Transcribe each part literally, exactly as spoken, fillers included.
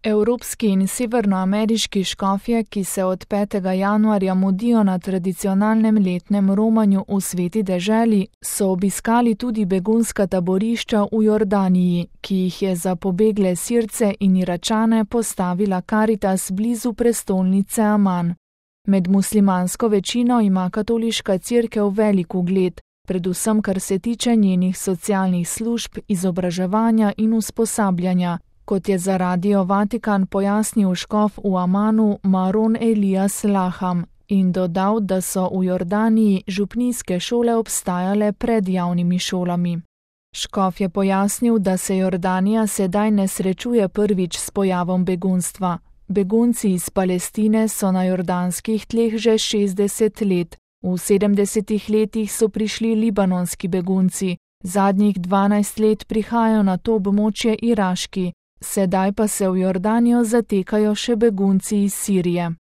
Evropski in severnoameriški škofje, ki se od petega januarja mudijo na tradicionalnem letnem romanju v Sveti deželi, so obiskali tudi begunska taborišča v Jordaniji, ki jih je za pobegle Sirce in Iračane postavila Karitas blizu prestolnice Aman. Med muslimansko večino ima katoliška cerkev velik ugled, predvsem kar se tiče njenih socialnih služb, izobraževanja in usposabljanja, kot je za Radio Vatikan pojasnil škof v Amanu Maron Elias Laham in dodal, da so v Jordaniji župnijske šole obstajale pred javnimi šolami. Škof je pojasnil, da se Jordanija sedaj ne srečuje prvič s pojavom begunstva. Begunci iz Palestine so na jordanskih tleh že šestdeset let. V sedemdesetih letih so prišli libanonski begunci, zadnjih dvanajst let prihajajo na to območje iraški, sedaj pa se v Jordanijo zatekajo še begunci iz Sirije.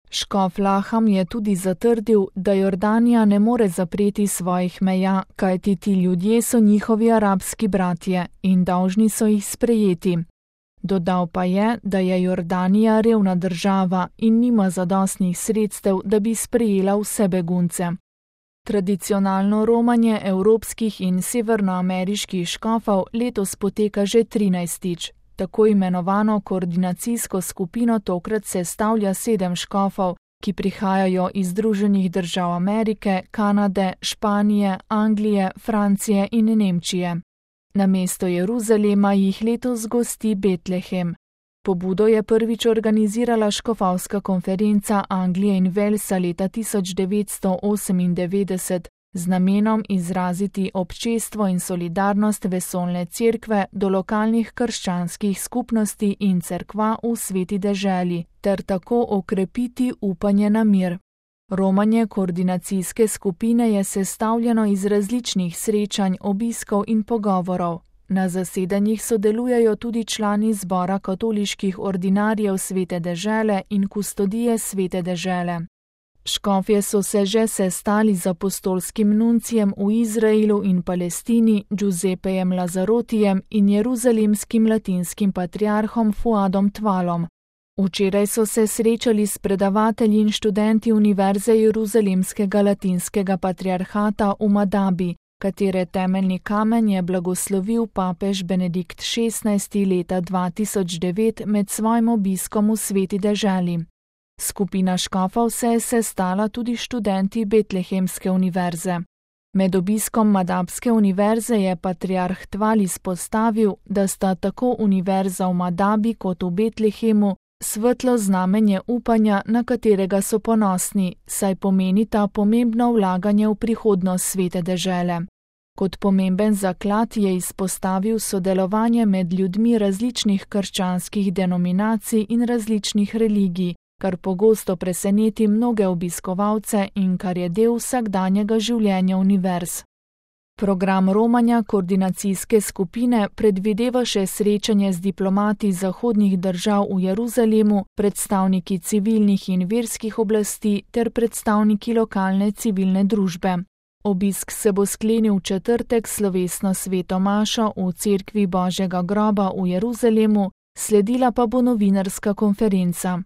Škof Laham je tudi zatrdil, da Jordanija ne more zapreti svojih meja, kajti ti ljudje so njihovi arabski bratje in dolžni so jih sprejeti. Dodal pa je, da je Jordanija revna država in nima zadostnih sredstev, da bi sprejela vse begunce. Tradicionalno romanje evropskih in severnoameriških škofov letos poteka že trinajstič. Tako imenovano koordinacijsko skupino tokrat sestavlja sedem škofov, ki prihajajo iz Združenih držav Amerike, Kanade, Španije, Anglije, Francije in Nemčije. Namesto Jeruzalema jih letos gosti Betlehem. Pobudo je prvič organizirala škofovska konferenca Anglije in Walesa leta tisoč devetsto osemindevetdeset z namenom izraziti občestvo in solidarnost vesoljne cerkve do lokalnih krščanskih skupnosti in cerkva v Sveti deželi ter tako okrepiti upanje na mir. Romanje koordinacijske skupine je sestavljeno iz različnih srečanj, obiskov in pogovorov. Na zasedanjih sodelujejo tudi člani zbora katoliških ordinarjev Svete dežele in kustodije Svete dežele. Škofje so se že sestali z apostolskim nuncijem v Izraelu in Palestini Giuseppejem Lazarotijem in jeruzalemskim latinskim patriarhom Fuadom Tvalom. Včeraj so se srečali s predavatelji in študenti Univerze Jeruzalemskega latinskega patriarhata v Madabi, katere temeljni kamen je blagoslovil papež Benedikt šestnajsti leta dva tisoč devet med svojim obiskom v Sveti deželi. Skupina škofov se je sestala tudi študenti Betlehemske univerze. Med obiskom Madabske univerze je patriarh Tval izpostavil, da sta tako univerza v Madabi kot v Betlehemu svetlo znamenje upanja, na katerega so ponosni, saj pomeni ta pomembno vlaganje v prihodnost Svete dežele. Kot pomemben zaklad je izpostavil sodelovanje med ljudmi različnih krščanskih denominacij in različnih religij, kar pogosto preseneti mnoge obiskovalce in kar je del vsakdanjega življenja univerz. Program romanja koordinacijske skupine predvideva še srečanje z diplomati zahodnih držav v Jeruzalemu, predstavniki civilnih in verskih oblasti ter predstavniki lokalne civilne družbe. Obisk se bo sklenil v četrtek slovesno sveto mašo v cerkvi Božjega groba v Jeruzalemu, sledila pa bo novinarska konferenca.